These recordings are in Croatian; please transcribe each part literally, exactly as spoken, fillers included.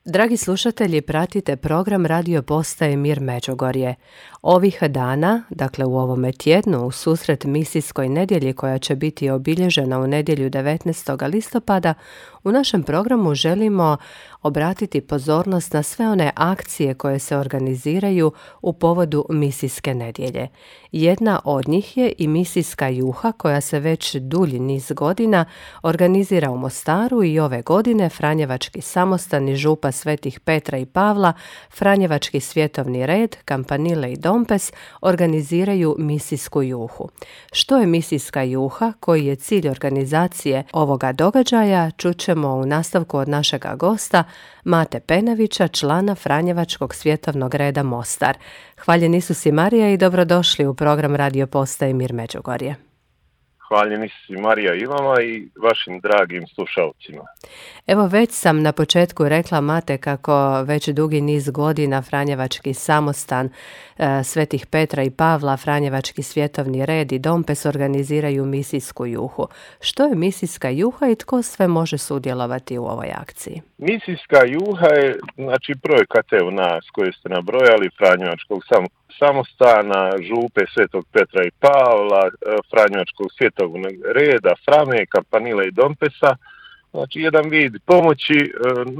Dragi slušatelji, pratite program Radio Postaje Mir Međugorje. Ovih dana, dakle u ovome tjednu, u susret misijskoj nedjelji koja će biti obilježena u nedjelju devetnaestog listopada, u našem programu želimo obratiti pozornost na sve one akcije koje se organiziraju u povodu misijske nedjelje. Jedna od njih je i misijska juha koja se već dulji niz godina organizira u Mostaru i ove godine Franjevački samostan i župa Svetih Petra i Pavla, Franjevački svjetovni red, Kampanile i Dompes organiziraju misijsku juhu. Što je misijska juha, koji je cilj organizacije ovoga događaja, čućemo u nastavku od našega gosta Mate Penavića, člana Franjevačkog svjetovnog reda Mostar. Hvaljen Isus i Marija i dobrodošli u program Radio Postaje Mir Međugorje. Hvaljen Isus i Marija i vama i vašim dragim slušalcima. Evo, već sam na početku rekla, Mate, kako već dugi niz godina Franjevački samostan, e, Svetih Petra i Pavla, Franjevački svjetovni red i Dompes organiziraju misijsku juhu. Što je misijska juha i tko sve može sudjelovati u ovoj akciji? Misijska juha je, znači, projekat evo nas koje ste nabrojali, Franjevačkog sam, samostana, župe Svetog Petra i Pavla, Franjevačkog svjetovnog reda, Frame, Kampanile i Dompesa. Znači, jedan vid pomoći e,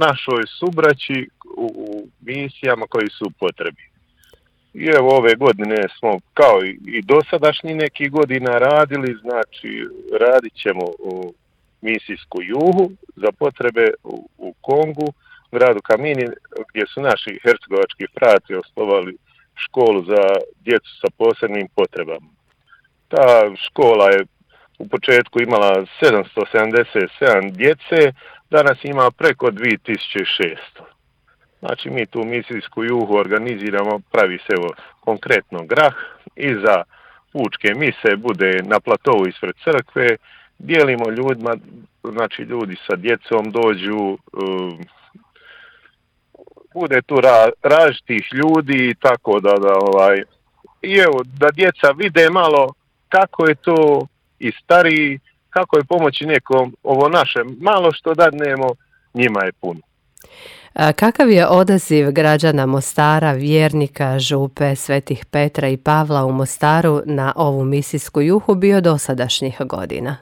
našoj subraći u, u misijama koji su u potrebi. I evo, ove godine smo kao i, i dosadašnji neki godina radili, znači radit ćemo u misijsku juhu za potrebe u, u Kongu, gradu Kamini, gdje su naši hercegovački frati osnovali školu za djecu sa posebnim potrebama. Ta škola je u početku imala sedamsto sedamdeset sedam djece, danas ima preko dvije tisuće šesto. Znači, mi tu misijsku juhu organiziramo, pravi se evo konkretno grah, iza pučke mise bude na platovu ispred crkve, dijelimo ljudima, znači ljudi sa djecom dođu, um, bude tu ra, različitih ljudi, tako da, da ovaj, i evo, da djeca vide malo kako je to i stariji, kako je pomoći nekom, ovo naše malo što dadnemo, njima je puno. A kakav je odaziv građana Mostara, vjernika, župe Svetih Petra i Pavla u Mostaru na ovu misijsku juhu bio dosadašnjih godina?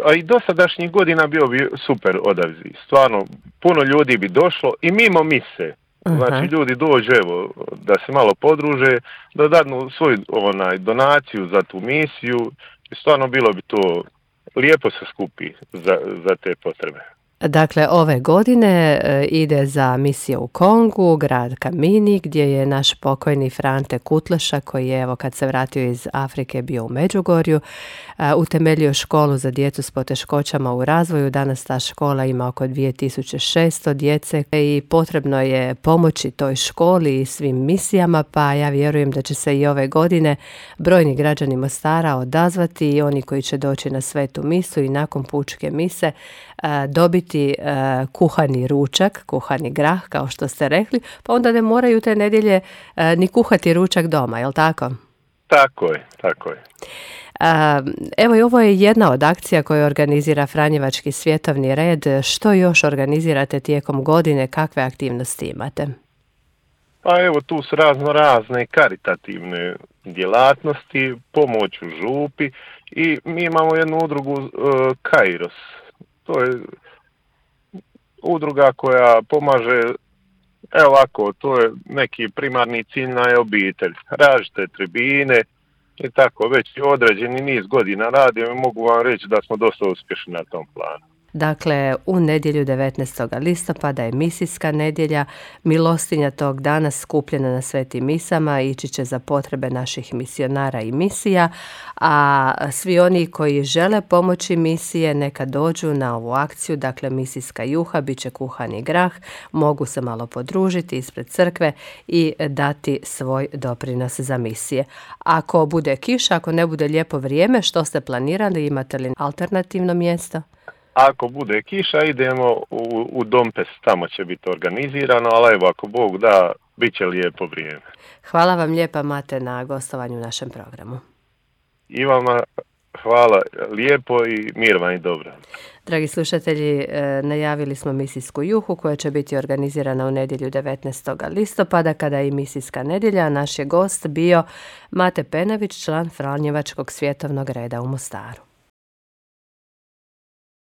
A i dosadašnjih godina bio bi super odaziv. Stvarno, puno ljudi bi došlo i mimo mise. Znači, Aha. ljudi dođu, evo, da se malo podruže, da dadnu svoju onaj, donaciju za tu misiju. I stvarno bilo bi to lijepo se skupi za, za te potrebe. Dakle, ove godine e, ide za misiju u Kongu, grad Kamini, gdje je naš pokojni Frante Kutleša, koji je, evo, kad se vratio iz Afrike, bio u Međugorju, e, utemeljio školu za djecu s poteškoćama u razvoju. Danas ta škola ima oko dvije tisuće šesto djece i potrebno je pomoći toj školi i svim misijama, pa ja vjerujem da će se i ove godine brojni građani Mostara odazvati i oni koji će doći na svetu misu i nakon pučke mise e, dobiti Uh, kuhani ručak, kuhani grah, kao što ste rekli, pa onda ne moraju te nedjelje uh, ni kuhati ručak doma, jel tako? Tako je, tako je. Uh, evo i ovo je jedna od akcija koju organizira Franjevački svjetovni red. Što još organizirate tijekom godine, kakve aktivnosti imate? Pa evo, tu su razno razne karitativne djelatnosti, pomoć u župi i mi imamo jednu udrugu uh, Kairos. To je udruga koja pomaže, evo ovako, to je neki primarni cilj na obitelj, različite tribine i tako, već određeni niz godina radimo i mogu vam reći da smo dosta uspješni na tom planu. Dakle, u nedjelju devetnaestog listopada je misijska nedjelja, milostinja tog dana skupljena na svetim misama ići će za potrebe naših misionara i misija, a svi oni koji žele pomoći misije neka dođu na ovu akciju, dakle misijska juha, bit će kuhani grah, mogu se malo podružiti ispred crkve i dati svoj doprinos za misije. Ako bude kiša, ako ne bude lijepo vrijeme, što ste planirali, imate li alternativno mjesto? Ako bude kiša, idemo u, u Dompes, tamo će biti organizirano, ali evo, ako Bog da, bit će lijepo vrijeme. Hvala vam lijepa, Mate, na gostovanju u našem programu. I vama Hvala lijepo i mir vam i dobro. Dragi slušatelji, najavili smo misijsku juhu koja će biti organizirana u nedjelju devetnaestog listopada kada je i misijska nedjelja. Naš je gost bio Mate Penavić, član Franjevačkog svjetovnog reda u Mostaru.